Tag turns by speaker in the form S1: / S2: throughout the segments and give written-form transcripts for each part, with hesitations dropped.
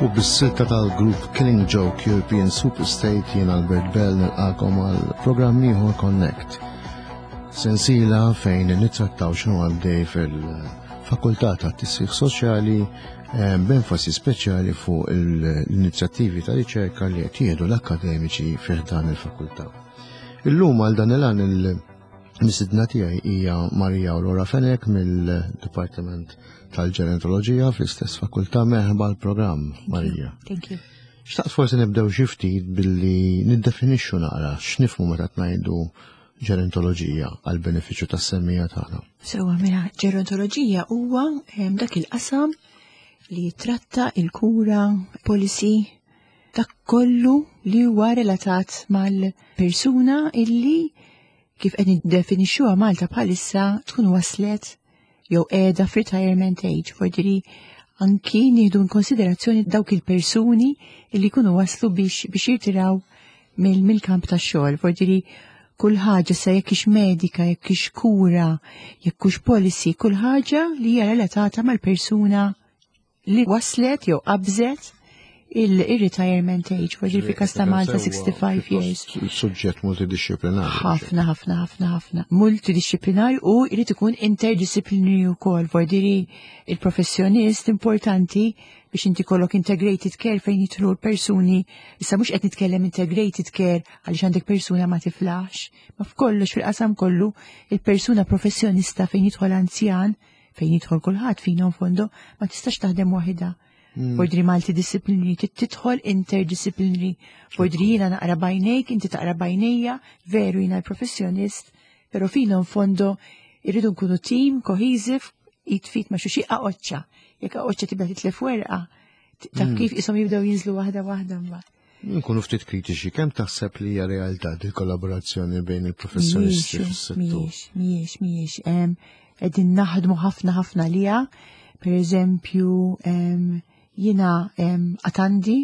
S1: U bis-silta tal-grupp Killing Joke European Superstate jien Albert Bell nilqakom għal programm ieħor Connect. Sensiela fejn nittrattaw x'inhu għaddej fil-Fakultà tat-Tisħiħ Soċjali eh, b'enfasi speċjali fuq l-inizjattivi ta' riċerka li qed jieħdu l-akkademiċi fih dan il-fakultà. Illum għal dan il-għan il-misidna tiegħi hija Marija Aurora Fenek mill-Dipartiment tal-Ġerontoloġija fl-istess fakultà merħba l-programm Marija.
S2: Thank you.
S1: Xtaqt forsi nibdew xi ftit billi niddefinixxu naqra x'nifhmu meta tngħidu ġerontoloġija għal benefiċċju tas-semmija tagħna.
S2: Sewa mela ġerontoloġija huwa dak il-qasam li jitratta il-kura, policy, dak kollu li huwa relatat mal-persuna illi kif qed niddefinixxuha Malta bħalissa tkun waslet jew qiegħda f'retirement age, fordiri anki nieħdu konsiderazzjoni dawk il-persuni li jkunu waslu biex biex jirtiraw mill-kamp tax-xogħol, fordiri kull ħaġa sa jekk ix medika, jekk ix kura, jekk hux policy, kull ħaġa li hija relatata mal-persuna li waslet jew qabżet il-retirement age, voġi fi kasta Malta 65 years.
S1: Suġġett multidisciplinari.
S2: Ħafna, ħafna, ħafna, ħafna. Multidisciplinari u jrid ikun interdisciplinary wkoll, vordiri il-professjonist importanti biex inti kollok integrated care fejn jidħlu l-persuni. Issa mhux qed nitkellem integrated care għaliex għandek persuna ma tiflax, ma f'kollox fil-qasam kollu il-persuna professjonista fejn jidħol anzjan fejn jidħol kulħadd fina fondo ma tistax taħdem waħida. Fordri multidisciplinary, tidħol interdisciplinary. Fordri jiena naqra bajnejk, inti taqra bajnejja, veru jiena l-professjonist, pero fina fondo irridu nkunu team, cohesive, jitfit ma xuxi aqoċċa. Jekk aqoċċa tibda titlef werqa, taf kif isom jibdew jinżlu waħda waħda mbagħad.
S1: Nkunu ftit kritiċi, kemm taħseb li hija realtà di kollaborazzjoni bejn il-professjonisti fis-settur?
S2: Mhijiex, mhijiex, mhijiex. Qegħdin naħdmu ħafna ħafna liha. Per eżempju, jiena għatandi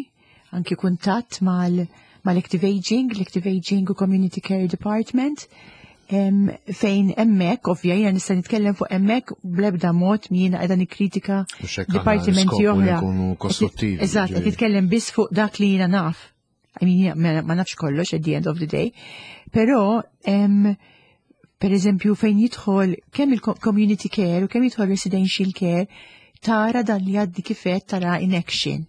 S2: anki kuntatt mal-Active Aging, l-Active Aging u Community Care Department, fejn emmek, ovvja, jiena nista' nitkellem fuq emmek bl-ebda mod jiena qiegħda nikkritika
S1: Mhux hekk aħna
S2: dipartimenti
S1: l-iskop hu li
S2: oħra.
S1: nkunu kostruttivi,
S2: Eżatt, qed
S1: ġifieri.
S2: nitkellem biss fuq dak li jiena naf. I mean, jiena ma nafx kollox at the end of the day. Però, per eżempju, fejn jidħol kemm il-community care u kemm jidħol residential care, tara dan li għaddi kifet tara in action.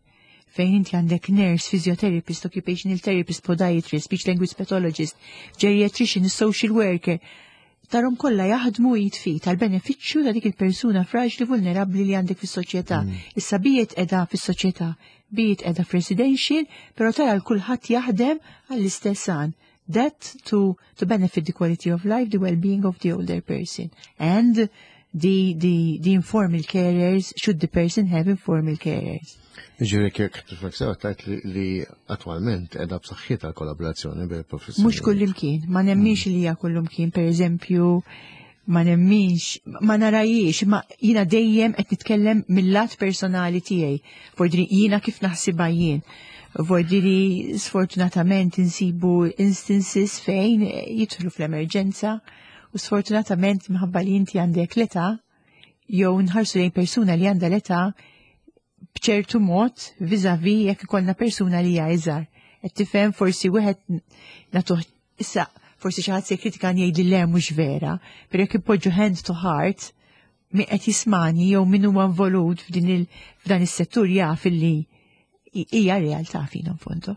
S2: Fejn inti għandek nurse, physiotherapist, occupational therapist, podiatrist, speech language pathologist, geriatrician, social worker, tarom kollha jaħdmu jitfit għal benefiċċju ta' dik il-persuna fraġli vulnerabbli li għandek fis-soċjetà. Issa biet qiegħda fis-soċjetà, biet qiegħda f'residential, però tara l kulħadd jaħdem għall-istess għan. That to benefit the quality of life, the well-being of the older person. And the informal carers, should the person have informal carers.
S1: Ġifieri kif tifhmek sew tajt li attwalment qiegħda b'saħħitha l-kollaborazzjoni bejn professjoni.
S2: Mhux kullimkien, ma nemminx li hija kullimkien, per eżempju, ma nemminx, ma narajiex, ma jiena dejjem qed nitkellem mill-lat personali tiegħi. Vordiri jiena kif naħsibha jien. Vordiri sfortunatament insibu instances fejn jidħlu fl-emerġenza u sfortunatament minħabba li inti għandek l-età jew nħarsu lejn persuna li għandha l-età b'ċertu mod vis-a-vis jekk ikollna persuna li hija iżgħar. Qed tifhem forsi wieħed nagħtuh issa forsi xi ħadd se jikkritika jgħid li le mhux vera, però jekk ipoġġu hand to heart min qed jismani jew min huwa involut f'dan is-settur jaf illi hija realtà fina fondo.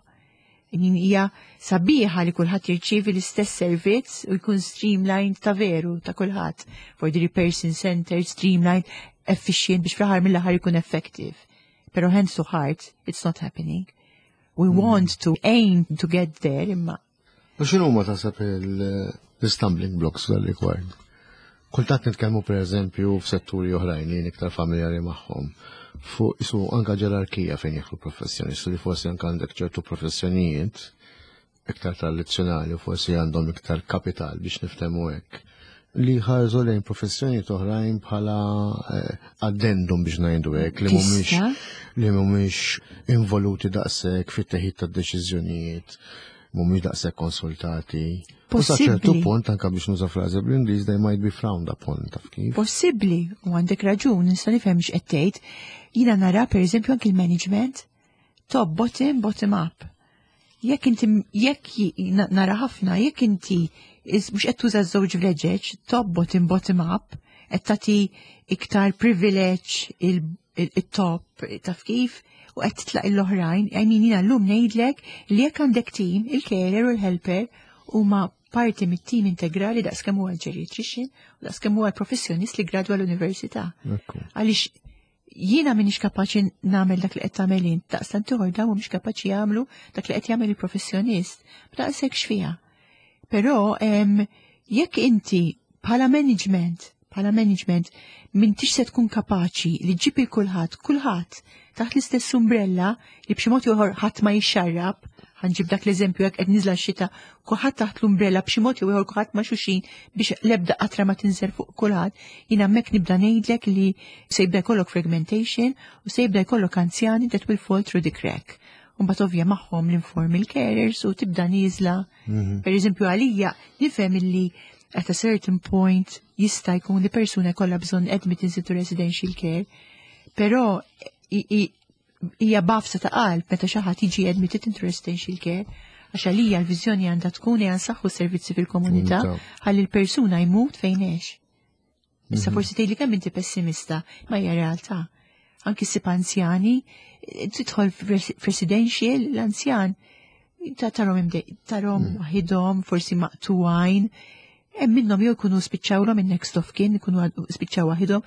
S2: Hija sabiħa li kulħadd jirċievi l-istess servizz u jkun streamlined ta' veru ta' kulħadd. For the person centered, streamlined, efficient biex fl-aħħar mill-aħħar jkun effective. Pero hands to heart, it's not happening. We want to aim to get there, imma.
S1: U x'inhu ma taħseb l-stumbling blocks dal rigward? Kultant nitkellmu per eżempju f'setturi oħrajn li iktar familjari magħhom. fuq isu anka ġerarkija fejn jidħlu professjonisti li forsi anka għandek ċertu professjonijiet iktar tradizzjonali u forsi għandhom iktar kapital biex niftehmu hekk li ħarżu lejn professjonijiet oħrajn bħala addendum biex ngħidu hekk li mhumiex li mhumiex involuti daqshekk fit-teħid tad-deċiżjonijiet, mhumiex daqshekk konsultati. U sa ċertu punt anka biex nuża frażi bl-Ingliż they might be frowned upon taf kif.
S2: Possibbli, u għandek raġun, nista' nifhem x'qed tgħid. Jiena nara pereżempju anki l-management top bottom bottom up. Jekk inti jekk nara ħafna, jekk inti mhux qed tuża żewġ vleġeġ, top bottom bottom up, qed tagħti iktar privileġġ il-top taf kif u qed titlaq l-oħrajn, I mean jiena llum ngħidlek li jekk għandek team, il-carer u l-helper huma parti mit-team integrali daqs kemm huwa l-geriatrician u daqs kemm huwa l-professjonist li gradwa l-università. Għaliex jiena m'iniex kapaċi nagħmel dak li qed tagħmel int, daqstant ieħor dawn mhumiex kapaċi jagħmlu dak li qed jagħmel il-professjonist. B'daqshekk x'fiha. Però jekk inti bħala management, bħala management m'intix se tkun kapaċi li ġġib il kulħadd, kulħadd taħt l-istess umbrella li b'xi mod ieħor ħadd ma jixxarrab, ħa nġib dak l-eżempju jekk qed niżla x-xita, kulħadd taħt l-umbrella b'xi mod jew ieħor kulħadd ma' xulxin biex l-ebda qatra ma tinżel fuq kulħadd, jiena hemmhekk nibda ngħidlek li se jibda jkollok fragmentation u se jibda jkollok anzjani that will fall through the crack. U mbagħad ovvja magħhom l-informal carers u tibda nieżla. Per eżempju għalija nifhem illi at a certain point jista' jkun li persuna jkollha bżonn admittance into residential care, però hija bafsa ta' qalb meta xi ħadd jiġi admitted into residential care, għax għalija l-viżjoni għandha tkun hija nsaħħu servizzi fil-komunità ħalli l-persuna jmut fejn għex. Issa forsi tgħidli kemm inti pessimista, ma hija realtà. Anki ssib anzjani, tidħol f'residential l-anzjan ta' tarhom tarhom waħidhom, forsi maqtugħin. Hemm minnhom jew jkunu spiċċawlhom in-next of kin, ikunu spiċċaw waħidhom.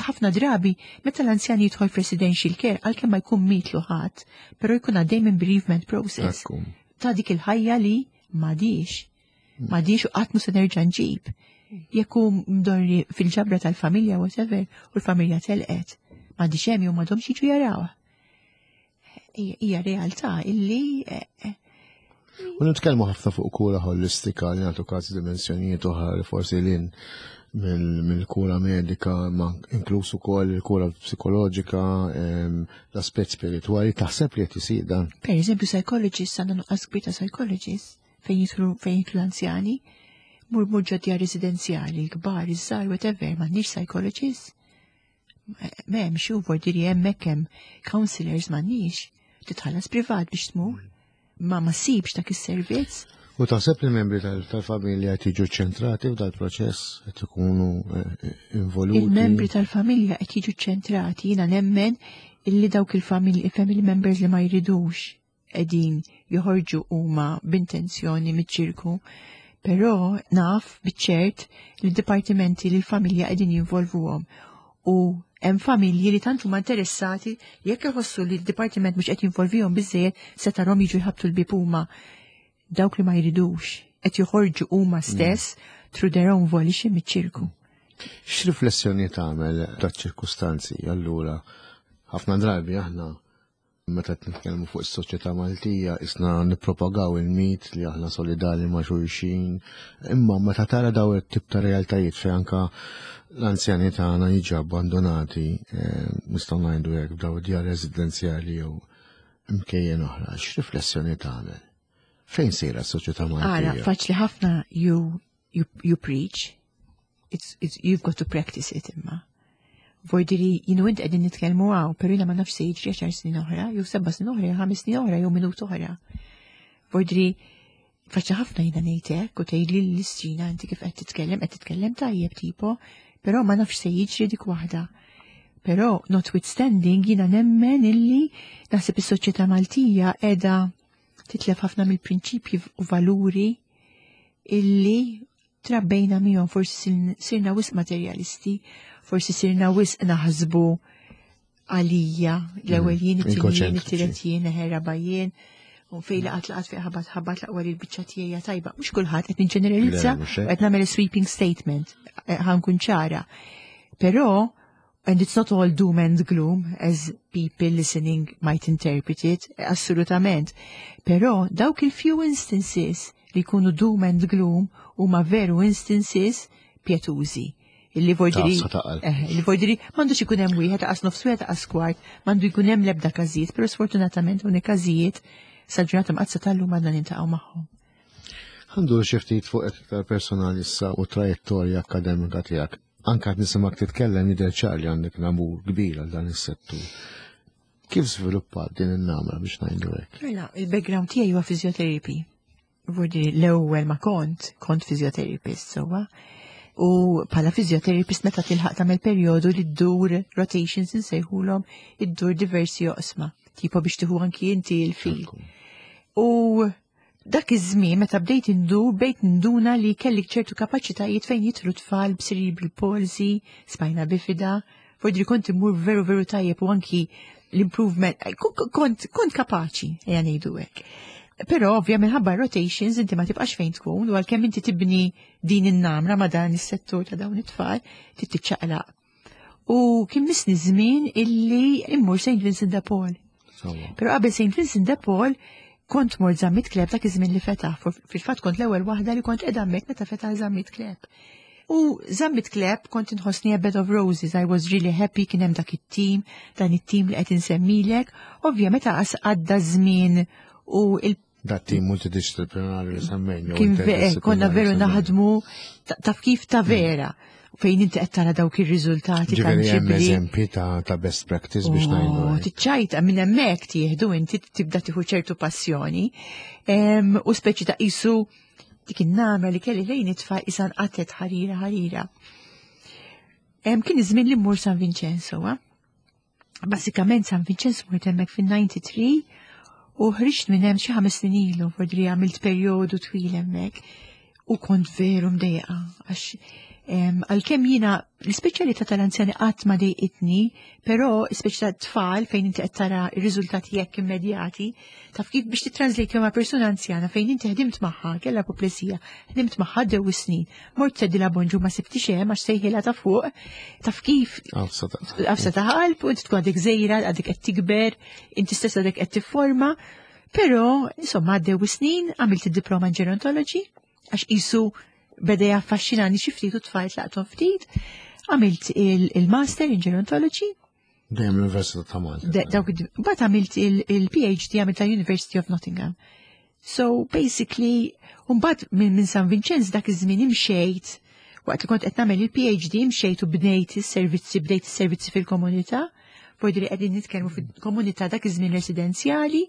S2: Ħafna drabi meta l-anzjan jidħol f'residential care għalkemm ma jkun mietlu ħadd, però jkun għaddej minn bereavement process. Ta' dik il-ħajja li m'għadix. M'għadix u qatt mhu se nerġa' nġib. Jekk hu mdorri fil-ġabra tal-familja whatever u l-familja telqet, m'għadix hemm jew m'għadhomx jiġu jaraw. Hija realtà illi
S1: U nitkellmu ħafna fuq kura holistika li nagħtu każi dimensjonijiet oħra li forsi lin mill-kura medika, ma inkluż ukoll il-kura psikoloġika, l-aspett spiritwali, taħseb li qed isir dan?
S2: Per eżempju, psychologists, għandna nuqqas kbir ta' psychologists fejn jidħlu l-anzjani, mur mur ġo djar residenzjali, l-kbar, iż-żgħar, whatever, m'għandniex psychologists. M'hemmx, u vordiri hemmhekk hemm counselors m'għandniex. Titħallas privat biex tmur. Ma ssibx dak is-servizz.
S1: U taħseb li membri tal-familja qed jiġu ċentrati f'dal-proċess, qed ikunu involuti?
S2: Il-membri tal-familja qed jiġu ċentrati, jiena nemmen illi dawk il-familji, family members li ma jridux qegħdin joħorġu huma b'intenzjoni miċ-ċirku, però naf biċ-ċert li d-dipartimenti li l-familja qegħdin jinvolvuhom. U hemm familji li tant huma interessati li jekk iħossu li d-dipartiment mhux qed jinvolvihom biżejjed se tarhom jiġu jħabbtu l-bieb huma. Dawk li ma jridux qed joħorġu huma stess through their own volition miċ-ċirku.
S1: X'riflessjoni tagħmel taċ-ċirkustanzi allura? Ħafna drabi aħna meta qed nitkellmu fuq is-soċjetà Maltija isna nippropagaw il-mit li aħna solidali ma' xulxin, imma meta tara daw it-tip ta' realtajiet fejn anka l-anzjani tagħna jiġu abbandonati, nistgħu ngħidu hekk f'daw id-djar residenzjali jew imkejjen oħra, x'riflessjoni tagħmel? Fejn sejra s-soċjetà Maltija?
S2: Ara, faċli ħafna you preach, you've got to practice it imma. Vordiri, jinu int qegħdin nitkellmu hawn, però jiena ma nafx se jiġri 10 snin oħra, jew 7 snin oħra, jew 5 snin oħra, jew minut oħra. Vordiri, faċli ħafna jiena ngħid hekk u tgħidli l-istrina inti kif qed titkellem, qed titkellem tajjeb tipo, però ma nafx se jiġri dik waħda. Però notwithstanding jiena nemmen illi naħseb is-soċjetà Maltija qiegħda titlef ħafna mill-prinċipji u valuri illi trabbejna miegħhom, forsi sirna wisq materjalisti, forsi sirna wisq naħsbu għalija, l-ewwel jien, it-tieni jien,
S1: Egoċentriċi.
S2: it-tielet jien, eħe, raba' jien, u fejn laqat laqat fejn ħabat ħabat laqwa li l-biċċa tiegħi tajba. Mhux kulħadd qed niġġeneralizza,
S1: Le, mhux hekk.
S2: qed nagħmel sweeping statement, ħankun ċara. Però And it's not all doom and gloom as people listening might interpret it, assolutament. Però dawk il-few instances li jkunu doom and gloom huma veru instances pjetużi. Illi vordiri, eh, li vordiri, m'għandux ikun hemm wieħed aqas nofs wieħed aqas kwart, m'għandu jkun hemm l-ebda każijiet, però sfortunatament hawn każijiet sal-ġurnata mqaddsa tal-lum għandna nintaqgħu magħhom.
S1: Għandu xi ftit fuq iktar personali issa u trajettorja akademika tiegħek. Anka qed nisimgħek titkellem jidher ċar li għandek namur kbir għal dan is-settur. Kif żviluppat din in-namra biex ngħidu hekk?
S2: Mela, il-background tiegħi huwa physiotherapy. Vurdi l-ewwel ma kont, kont physiotherapist sewwa. U bħala physiotherapist meta tilħaq tagħmel perjodu li ddur rotations insejħulhom iddur diversi oqsma, tipo biex tieħu anki inti l-fil. U Dak iż-żmien meta bdejt indur bdejt ninduna li kelli ċertu kapaċitajiet fejn jidħlu tfal b'cerebral palsy, spina bifida, fordri kont immur veru veru tajjeb u anki l-improvement, kont, kont kapaċi, ejja ngħidu hekk. Però ovvja minħabba rotations inti ma tibqax fejn tkun u għalkemm inti tibni din in-namra ma dan is-settur ta' dawn it-tfal, trid tiċċaqlaq. U kien misni żmien illi immur St. Vincent de Paul. Però qabel St. Vincent de Paul kont mort Zammit Kleb dak iż-żmien li fetaħ. Fil-fatt kont l-ewwel waħda li kont qiegħda hemmhekk meta fetaħ Zammit Kleb. U Zammit Kleb kont inħossni a bed of roses, I was really happy kien hemm dak it-tim, dan it-tim li qed insemmilek. Ovvja meta għadda żmien u il
S1: Dat tim multidisciplinari li semmejna.
S2: Kien eh, konna veru naħdmu taf kif ta' vera fejn inti qed tara dawk ir-riżultati
S1: tanġibbli. Eżempji ta' best practice biex ngħidu.
S2: Oh, tiċċajta minn hemmhekk tieħdu inti tibda tieħu ċertu passjoni u speċi ta' qisu dik in-namra li kelli lejn itfa' isan qatet ħarira ħarira. Kien iż-żmien li mmur San Vincenzo, Basikament San Vincenzo mort hemmhekk fin-93 u ħriġt minn hemm xi ħames snin ilu, fordri għamilt perjodu twil hemmhekk u kont veru mdejqa għax għalkemm jiena l-ispeċjalità tal-anzjani qatt ma dejqitni, però l-ispeċjalità tfal fejn inti qed tara r-riżultati jekk immedjati, taf kif biex titranslate ma' persuna anzjana fejn inti ħdimt magħha, kellha apoplesija, ħdimt magħha dew is-snin, mort tgħidilha bonġu ma sibtix hemm għax sejħilha ta' fuq, taf kif għafsa ta' qalb u inti tkun għadek żejra, għadek qed tikber, inti stess għadek qed tifforma, però insomma għaddew snin għamilt id-diploma in gerontology għax qisu beda jaffaxxinani xi ftit u tfajt laqthom ftit, għamilt il-master in gerontology.
S1: Dejjem l-Università ta' Malta.
S2: Dawk Mbagħad għamilt il-PhD għamilt ta' University of Nottingham. So basically, mbagħad minn San Vincenz dak iż-żmien imxejt waqt li kont qed nagħmel il-PhD imxejt u bnejt is-servizzi, bdejt is-servizzi fil-komunità, Fordi li qegħdin nitkellmu fil-komunità dak iż-żmien residenzjali,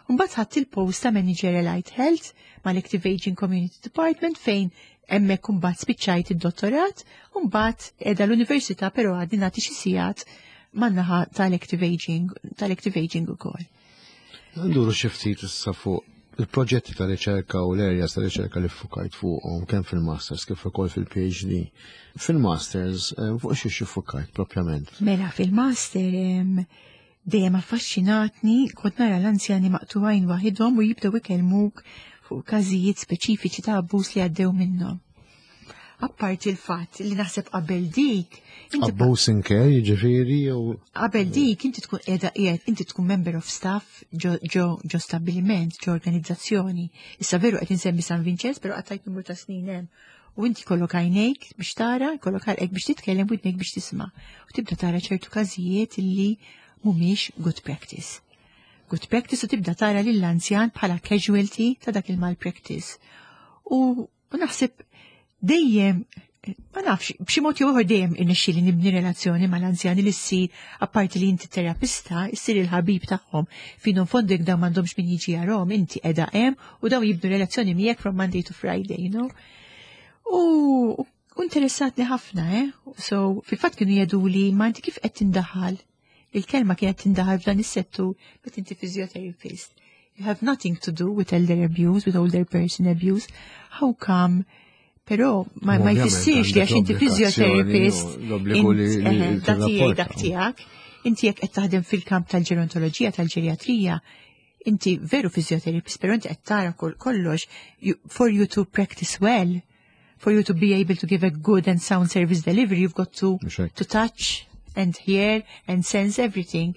S2: u mbagħad ħadt il-post ta' Manager Allied Health mal-Active Aging Community Department fejn hemmhekk imbagħad spiċċajt id-dottorat, u mbagħad qiegħda l-università però għadni nagħti xi sigħat man-naħa tal-Active Aging, tal-Active Aging ukoll.
S1: Nduru xi ftit issa fuq il-proġetti ta' riċerka u l-areas ta' riċerka li ffukajt fuqhom kemm fil-masters kif ukoll fil-PhD. Fil-masters eh, fuq xi xi fukajt propjament?
S2: Mela fil-master dejjem affaxxinatni kont nara l-anzjani maqtuwajn waħidhom u jibdew ikellmuk fuq każijiet speċifiċi ta' abbuż li għaddew minnhom. Apparti l-fatt li naħseb qabel dik.
S1: Abbuż in care, jiġifieri jew.
S2: Qabel dik inti tkun qiegħda qiegħed inti tkun member of staff ġo ġo stabbiliment, ġo organizzazzjoni. Issa veru qed insemmi San Vincenz, però qattajt numru ta' snin hemm. U inti kollok għajnejk biex tara, kollok ħalqek biex titkellem u widnejk biex tisma'. U tibda tara ċertu każijiet li mhumiex good practice. Good practice u tibda tara lill-anzjan bħala casualty ta' dak il-malpractice. U U naħseb dejjem ma nafx, b'xi mod jew ieħor dejjem irnexxieli nibni relazzjoni mal-anzjani li ssir apparti li inti terapista, issir il-ħabib tagħhom. Fino fondek dawn m'għandhomx min jiġi jarahom, inti qiegħda hemm u dawn jibnu relazzjoni miegħek from Monday to Friday, you know. U interessatni ħafna, eh? So, fil-fatt kienu jgħidu li ma inti kif qed tindaħal Il-kelma kienet tindaħal f'dan is-settur meta inti physiotherapist. You have nothing to do with elder abuse, with older person abuse. How come? Però ma, ma jfissirx li għax inti physiotherapist dak tiegħi dak tiegħek, inti jekk qed taħdem fil-kamp tal-ġerontoloġija, tal-ġeriatrija, inti veru physiotherapist, però inti qed tara kollox for you to practice well, for you to be able to give a good and sound service delivery, you've got to, to touch and hear and sense everything.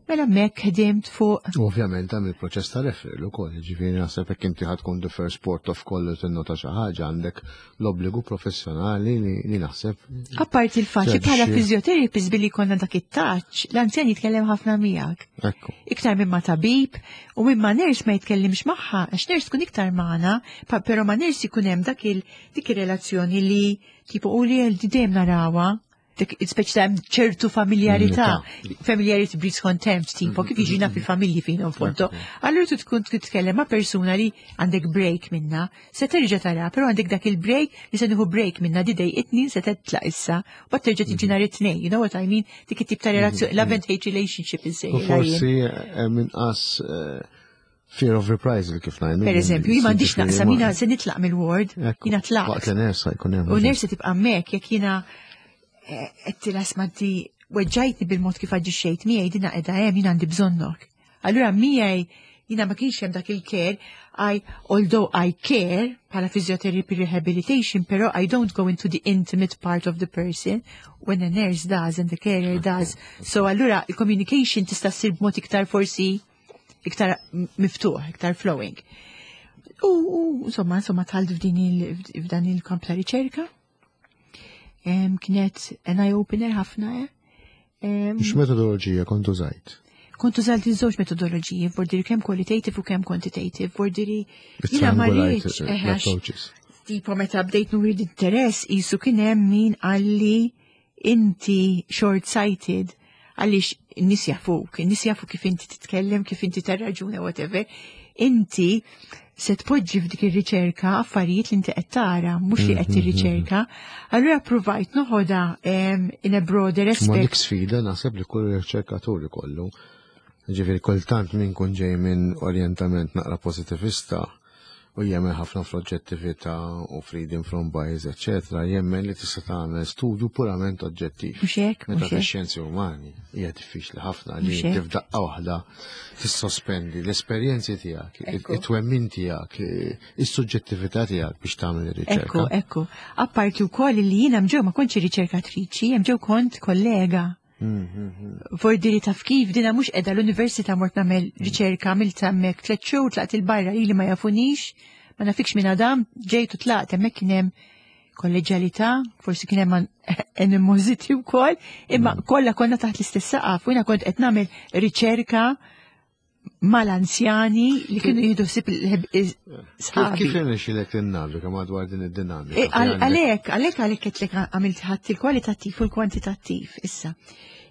S2: Mela hemmhekk ħdimt fuq.
S1: Ovvjament hemm il-proċess ta' referral ukoll, ġifieri naħseb hekk inti ħad tkun the first port of call li tinnota xi ħaġa, għandek l-obbligu professjonali li naħseb.
S2: Apparti il-fatt li bħala physiotherapist billi konna dak it-touch, l-anzjan jitkellem ħafna miegħek. Iktar minn ma tabib u minn ma nurse ma jitkellimx magħha, għax nurse tkun iktar magħna, però ma nurse ikun hemm dak il dik ir-relazzjoni li tipo u li dejjem narawha, speċi ta' ċertu familjarità, familiarity breeds contempt, tipo, kif jiġina fil-familji fin fondo. Allura tu tkun titkellem ma' persuna li għandek break minna, se terġa' tara, però għandek dak il-break li se nieħu break minna di dej it-tnejn se tetlaq issa, u bat terġa' tiġi nhar it-tnejn, you know what I mean? Dik it-tip ta' relazzjoni, love and hate relationship
S1: insejjaħ. Forsi inqas fear of reprisal kif ngħidu.
S2: Per eżempju, jien m'għandix naqsam, jiena se nitlaq mill-ward, jiena tlaqt.
S1: Waqt li nurse jkun hemm.
S2: U nurse tibqa' hemmhekk jekk jiena għedtilha isma' inti weġġajtni bil-mod kif aġixxejt miegħi, dina qiegħda hemm, jiena għandi bżonnok. Allura miegħi jiena ma kienx hemm dak il-care, although I care bħala physiotherapy rehabilitation, però I don't go into the intimate part of the person when a nurse does and the carer does. So allura il-communication tista' ssir b'mod iktar forsi iktar miftuħ, iktar flowing. U insomma dħalt f'dan il-kamp ta' riċerka. Kienet an eye-opener ħafna.
S1: X'metodoloġija kont użajt?
S2: Kont użajt iż-żewġ metodoloġiji, vordiri kemm qualitative u kemm quantitative, vordiri jiena ma rridx,
S1: approaches.
S2: Tipo meta bdejt nuri interess, jisu kien hemm min qalli inti short-sighted, għaliex n-nies jafuk, n-nies jafu kif inti titkellem, kif inti tarraġuna, whatever. Inti se tpoġġi f'dik ir-riċerka affarijiet li inti qed tara, mhux li qed tirriċerka. Allura provajt noħodha in a broader
S1: Ma
S2: aspect.
S1: Dik sfida naħseb li kull riċerkatur ikollu. Ġifieri kultant min kun ġej minn orjentament naqra pozitivista u jemmen ħafna fl-oġġettività u freedom from bias, eccetera, jemmen li tista' tagħmel studju purament oġġettiv.
S2: Mhux hekk,
S1: Meta
S2: mhux hekk.
S1: fix-xjenzi umani hija diffiċli ħafna li
S2: Mhux hekk.
S1: tifdaqqa waħda tissospendi l-esperjenzi tiegħek, it-twemmin tiegħek, is-suġġettività tiegħek biex tagħmel ir-riċerka.
S2: Ekku, ekku. Apparti wkoll li jiena mġew ma kontx riċerkatriċi, hemm ġew kont kollega. Vordiri taf kif dina mhux qiegħda l-università mort nagħmel riċerka, għamilt hemmhekk 3 xhur, tlaqt il-barra li ma jafunix, ma nafikx minn Adam, ġejt u tlaqt, hemmhekk kien hemm kolleġjalità, forsi kien hemm animosity wkoll, imma kollha konna taħt l-istess saqaf, u jiena kont qed nagħmel riċerka mal-anzjani li kienu jieħdu ħsieb sħabi.
S1: Kif irnexxielek tinnaviga madwar din id-dinamika?
S2: Għalhekk qed għamilt ħadd il-kwalitattiv u l-kwantitattiv issa.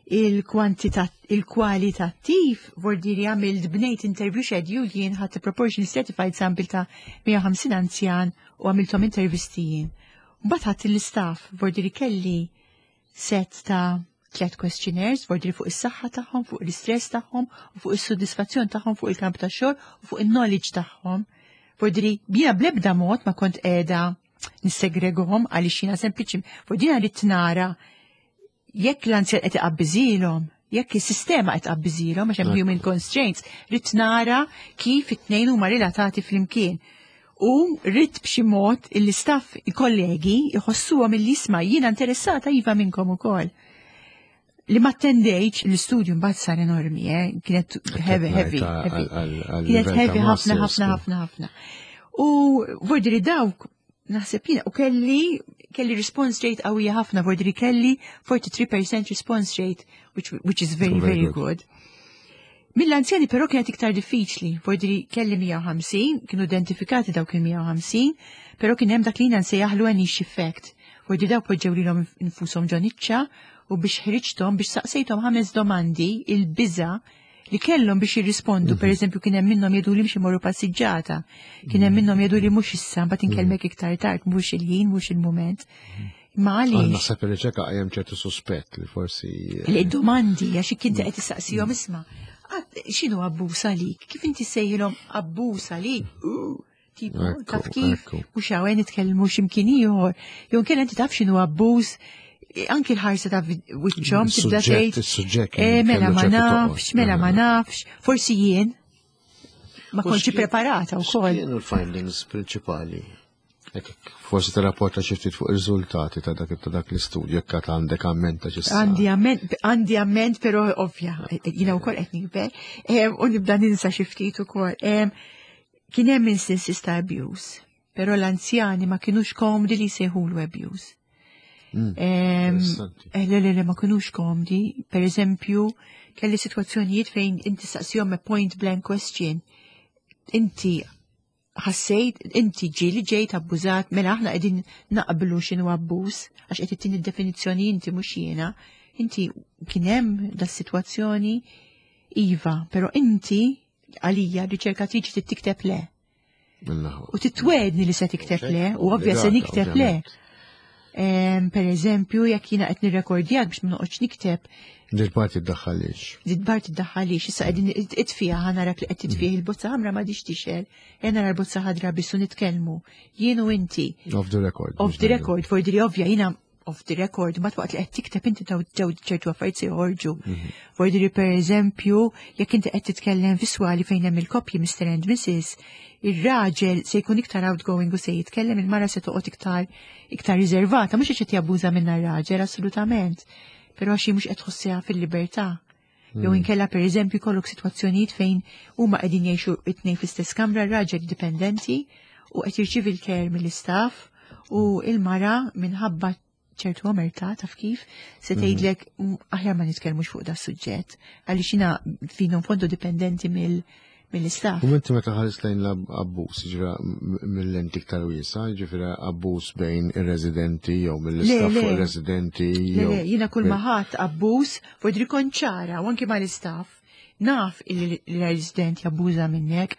S2: Il-kwalitattiv vordiri għamilt bnejt interview schedule, jien ħadd proportion stratified sample ta' 150 anzjan u għamilthom intervisti jien. Mbagħad ħadd l-istaff, vordiri kelli set ta' 3 questionnaires, vordiri fuq is-saħħa tagħhom, fuq l-istress tagħhom, u fuq is-sodisfazzjon tagħhom fuq il-kamp ta' xogħol u fuq il-knowledge tagħhom. Vordiri jiena bl-ebda mod ma kont qiegħda nissegregahom għaliex jiena sempliċi, vordiri rrid nara jekk l-anzjan qed iqabbiżilhom, jekk is-sistema qed tqabbiżilhom għax hemm human constraints, rrid nara kif it-tnejn huma relatati flimkien. U rrid b'xi mod il-istaff, il-kollegi, jħossuhom illi jisma' jiena interessata iva minnkom ukoll. Li ma attendejtx l-istudju mbagħad sar enormi, kienet
S1: Kienet
S2: heavy, heavy,
S1: ngħid
S2: heavy.
S1: għal
S2: Kienet
S1: livell
S2: heavy
S1: ta'
S2: ħafna,
S1: masters,
S2: ħafna,
S1: kien.
S2: ħafna, ħafna. U vordiri dawk naħseb jiena, u kelli response rate qawwija ħafna, vordiri kelli 43% response rate, which is very,
S1: Very
S2: very
S1: good.
S2: good. Mill-anzjani però kienet iktar diffiċli, vordiri kelli 150, kienu identifikati dawk il-150, però kien hemm dak li jiena nsejjaħlu niche effect. Vordiri dawk poġġew lilhom infushom ġo niċċa u biex ħriġthom, biex saqsejthom 5 domandi il-biża li kellhom biex jirrispondu. Per eżempju, kien hemm minnhom jgħidu li mhux imorru passiġġata, kien hemm minnhom jgħidu li mhux issa, mbagħad inkellmek iktar tard, mhux il-ħin, mhux il-mument. Ma għaliex?
S1: Naħseb ir-riċerka qajjem ċertu suspett li forsi
S2: Li domandi, għax kien qed tistaqsihom isma', x'inhu abbuż għalik? Kif inti sejjilhom abbuż għalik? Tipo, taf kif? Mhux hawn nitkellmu x'imkien ieħor. Jew inkella inti taf x'inhu abbuż, anki l-ħarsa ta' wiċċhom tibda
S1: Is-suġġett,
S2: tgħid,
S1: is-suġġett kien
S2: mela
S1: kellu
S2: ma
S1: ċertu toqgħod.
S2: nafx, mela ma nafx, forsi jien ma
S1: U
S2: kontx preparata wkoll.
S1: X'kienu l-findings prinċipali? Forsi tirrapporta xi ftit fuq ir-riżultati ta' dak ta' dak l-istudju jekk għad għandek amment ta' xi
S2: Għandi amment, għandi amment, però ovvja, jiena wkoll qed nikber, u nibda ninsa xi ftit ukoll. Kien hemm instances ta' abuse, però l-anzjani ma kinux komdi li jsejħulu abuse. Le, le, le, ma kinux komdi. Per eżempju, kelli situazzjonijiet fejn inti saqsihom a point blank question. Inti ħassejt, inti ġieli ġejt abbużat, mela aħna qegħdin naqblu x'inhu abbuż, għax qed ittini d-definizzjoni inti mhux jiena. Inti kien hemm da sitwazzjoni iva, però inti għalija riċerkatriċi trid tikteb le. U titwedni li se tikteb le, u ovvja se nikteb le. Per eżempju, jekk jiena qed nirrekordjak biex ma noqgħodx nikteb.
S1: Dil-parti ddaħħalix.
S2: Dil-parti ddaħħalix, issa qegħdin itfiha ħa narak li qed titfih il-bozza ħamra ma diċ tixel, ejja nara l-bozza ħadra biss u nitkellmu. Jien u inti.
S1: Off the record.
S2: Off the record, for di ovvja jiena off the record, ma waqt li qed tikteb inti taw ġew ċertu affarijiet se joħorġu. Vordiri per eżempju, jekk inti qed titkellem viswali fejn hemm il-koppji Mr. and Mrs., ir-raġel se jkun iktar outgoing u se jitkellem, il-mara se toqgħod iktar riservata, mhux qed jabbuża minnha r-raġel assolutament, però xi mhux qed tħossiha fil-libertà. Jew inkella per eżempju kollok sitwazzjonijiet fejn huma qegħdin jgħixu it-tnejn fl-istess kamra, r-raġel dipendenti u qed jirċievi l-care mill-istaff u il-mara minħabba ċertu omerta taf kif se tgħidlek aħjar ma nitkellmux fuq da suġġett għaliex jiena fino fondu dipendenti mill-istaff.
S1: U inti meta ħares lejn l-abbuż, ġifieri mill-lenti iktar wiesa, ġifieri abbuż bejn ir-residenti jew mill-istaff fuq ir-residenti
S2: Le, le, jiena kull ma ħadd abbuż fuq konċara u anki mal-istaff. Naf li l-resident jabbuża minnek,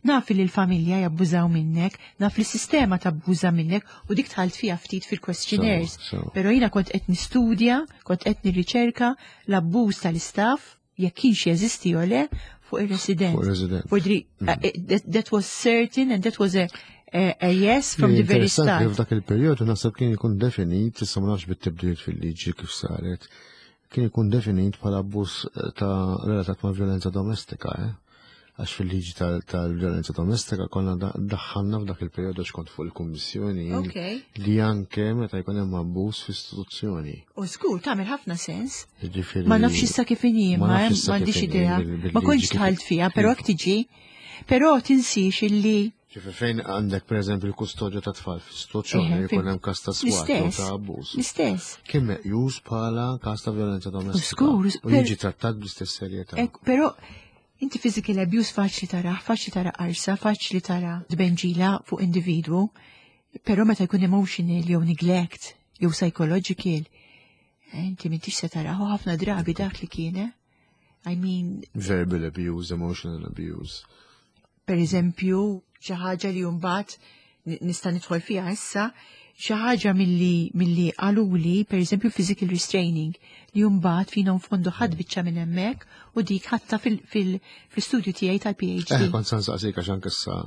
S2: naf li l-familja jabbużaw minnek, naf li s-sistema tabbuża minnek u dik dħalt fija ftit fil-questionnaires. Però jiena kont qed nistudja, kont qed nirriċerka l-abbuż tal-istaff jekk kienx jeżisti jew le fuq ir-resident.
S1: Fuq ir-resident.
S2: Vordri, that was certain and that was a yes from the very
S1: Interessanti li
S2: start.
S1: f'dak il-perjodu naħseb kien ikun definit, issa ma nafx bit-tibdiliet fil-liġi kif saret, kien ikun definit bħala abbuż ta' relatat ma' violenza domestika, eh? Għax fil-liġi tal-violenza domestika konna daħħalna f'dak il-perjodu għax kont fuq il-kummissjoni li anke meta jkun hemm abbuż f'istituzzjoni.
S2: U żgur tagħmel ħafna sens.
S1: Jiġifieri
S2: Ma nafx issa kif inhi,
S1: ma
S2: ma
S1: nafx issa
S2: m'għandix
S1: kif inhi
S2: idea.
S1: bil-liġi
S2: Ma kontx
S1: kif
S2: dħalt fiha, però hekk tiġi. Però tinsix illi
S1: Ġifieri fejn għandek pereżempju l-kustodja ta' tfal f'istituzzjoni jkun hemm każ ta' swat jew ta' abbuż.
S2: L-istess.
S1: Kien meqjus bħala każ ta' violenza domestika.
S2: Żgur,
S1: U jiġi trattat bl-istess serjetà.
S2: Ek, però inti physical abuse faċli tara, faċli tara qarsa, faċli tara tbenġila fuq individwu, però meta jkun emotional jew neglect jew psychological, inti m'intix se tara ħafna drabi dak li kien, eh? I mean,
S1: verbal abuse, emotional abuse.
S2: Per eżempju, xi ħaġa li mbagħad nista' nidħol fiha issa, xi ħaġa milli qaluli, per eżempju, physical restraining, li mbagħad fina nfondu ħadd biċċa minn hemmhekk u dik ħatta fil-studju tiegħi tal-PhD.
S1: Kont se nsaqsik għax anke issa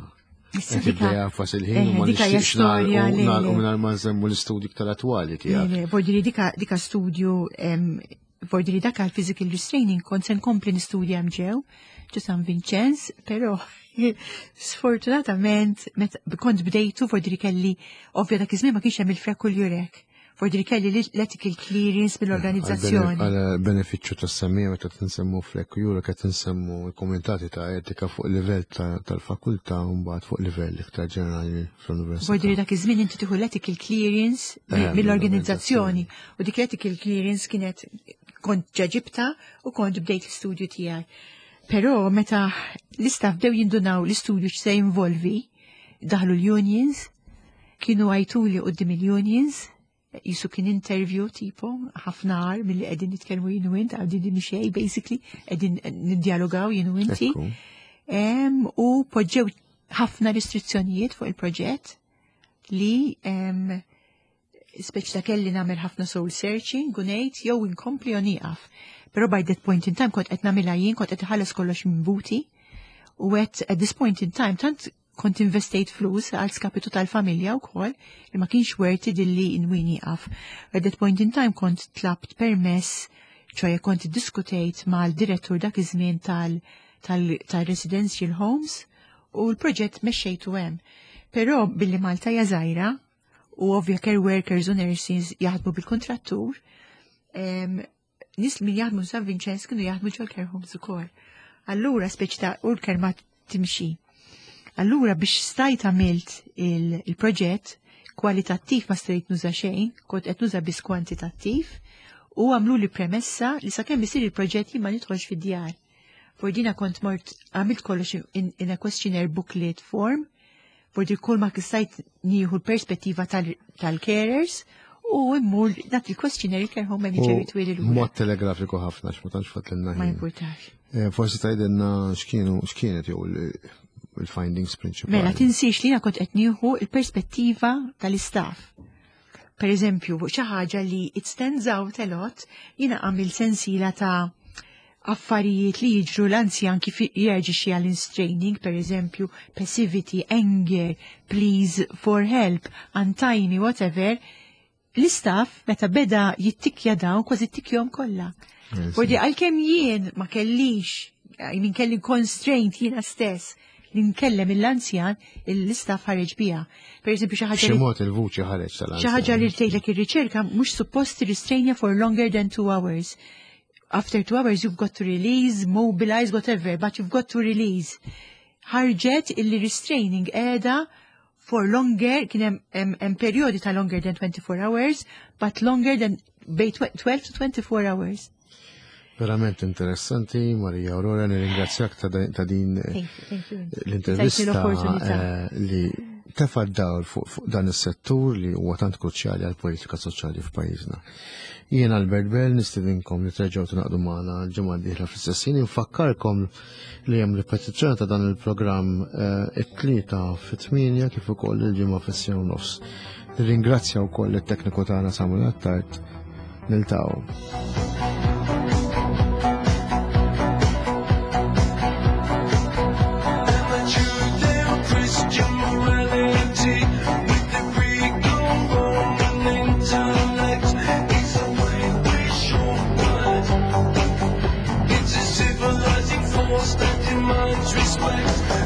S2: Issa
S1: qed
S2: dika
S1: tibda jafas il-ħin u ma
S2: dika hija
S1: nixtieqx
S2: storja li
S1: nagħlqu mingħajr ma nsemmu l-istudju iktar attwali tiegħek.
S2: Le, le, voldiri dika studju, voldiri dak għal physical restraining kont se nkompli nistudja hemm ġew San Vincenz, però sfortunatament meta kont bdejtu voldiri kelli ovvja dak iż-żmien ma kienx hemm il-FREC u l-EUREC. Voldiri kelli l-ethical clearance mill-organizzazzjoni.
S1: Għal benefiċċju tas-semmiegħa meta tinsemmu FREC u EUREC qed insemmu l-kumitati ta' etika fuq livell tal-fakultà u mbagħad fuq livell iktar ġenerali fl-università.
S2: Voldiri dak iż-żmien inti tieħu l-ethical clearance mill-organizzazzjoni. U dik l-ethical clearance kienet kont ġaġibta u kont bdejt l-istudju tiegħi. Però meta l-istaff bdew jindunaw l-istudju x'se jinvolvi, daħlu l-unions, kienu għajtuli quddiem il-unions, jisu kien interview tipo, ħafna għar mill-li qegħdin nitkellmu jien u int, għadin din xej, basically, qegħdin niddialogaw jien u inti. U poġġew ħafna restrizzjonijiet fuq il-proġett li speċi ta' kelli nagħmel ħafna soul searching u ngħid jew inkompli jew nieqaf. Però by that point in time kont qed nagħmilha jien, kont qed iħallas kollox minn buti u qed at this point in time tant kont investejt flus għal skapitu tal-familja wkoll li ma kienx worth it illi nwi nieqaf. At that point in time kont tlabt permess, ċoħe kont iddiskutejt mal-direttur dak iż-żmien tal-residential homes u l-proġett mexxejtu hemm. Però billi Malta hija żgħira u ovvja care workers u nurses jaħdmu bil-kontrattur, nies min jaħdmu San Vincenz kienu jaħdmu ġol care homes ukoll. Allura speċi ta' u l-kelma timxi. Allura biex stajt għamilt il-proġett kwalitattiv ma stajt nuża xejn, kont qed nuża biss kwantitattiv u għamlu li premessa li sakemm isir il-proġett jien ma nidħolx fid-djar. Fordina kont mort għamilt kollox in a questionnaire booklet form, fordi kull ma stajt nieħu l-perspettiva tal-carers u immur dak il-questionnaire care home manager jitwili l
S1: Mod telegrafiku ħafna, x'ma tantx fatlilna
S2: Ma jimpurtax.
S1: Forsi tgħidilna x'kienu x'kienet jew il-findings prinċipali.
S2: Mela tinsiex li jiena kont qed nieħu il-perspettiva tal-istaff. Per eżempju, xi ħaġa li it stands out a lot, jiena għamil sensila ta' affarijiet li jiġru l-anzjan kif jirreaġixxi għall-restraining, per eżempju, passivity, anger, pleas for help, untimely, whatever. L-istaff meta beda jittikja dawn kważi ttikjahom kollha. Fordi għalkemm jien ma kellix, I mean kelli constraint jiena stess li nkellem il-anzjan, l-istaff ħareġ bija. Per eżempju, xi ħaġa
S1: Xi mod il-vuċi ħareġ tal-anzjan.
S2: Xi ħaġa li tgħidlek ir-riċerka mhux suppost restrainja for longer than 2 hours. After 2 hours you've got to release, mobilize, whatever, but you've got to release. Ħarġet illi restraining qiegħda for longer, kien hemm perjodi ta' longer than 24 hours, but longer than bejn 12 to 24 hours.
S1: Verament interessanti, Maria Aurora, nirringrazzjak ta' din
S2: Thank you, thank you.
S1: l-intervista
S2: Tajtni l-opportunità.
S1: Li tefa' dawl fuq dan is-settur li huwa tant kruċjali għal politika soċjali f'pajjiżna. Jien Albert Bell nistedinkom li terġgħu tingħaqdu magħna l-ġimgħa d-dieħla fl-istess ħin. Infakkarkom li hemm ripetizzjoni ta' dan il-programm it-Tlieta fit-8 kif ukoll il-Ġimgħa fis-6:30. Nirringrazzja wkoll it-tekniku tagħna Samuel Attard. Niltaqgħu.
S3: Christian morality with the Greco-Roman intellect. It's a way we should. It's a civilizing force that demands respect.